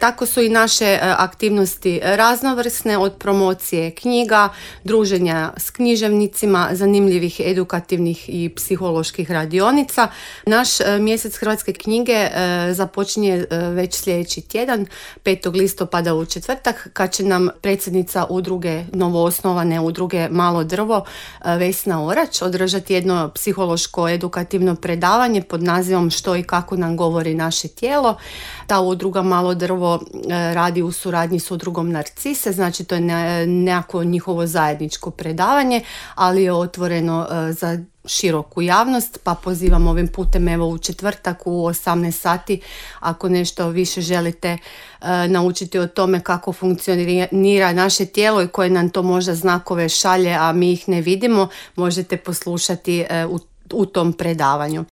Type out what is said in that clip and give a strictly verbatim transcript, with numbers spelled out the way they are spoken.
tako su i naše aktivnosti raznovrsne, od promocije knjiga, druženja s književnicima, zanimljivih edukativnih i psiholoških radionica. Naš mjesec hrvatske knjige započinje već sljedeći tjedan, petog listopada u četvrtak, kad će nam predsjednica udruge, novoosnovane udruge Malo drvo, Vesna Orać, održati jedno psihološko edukativno predavanje pod nazivom Što i kako nam govori naše tijelo. Ta udruga Malo drvo radi u suradnji s udrugom Narcise, znači to je nekako njihovo zajedničko predavanje, ali je otvoreno za široku javnost, pa pozivam ovim putem evo u četvrtak u osamnaest sati, ako nešto više želite uh, naučiti o tome kako funkcionira naše tijelo i koje nam to možda znakove šalje, a mi ih ne vidimo, možete poslušati uh, u u tom predavanju.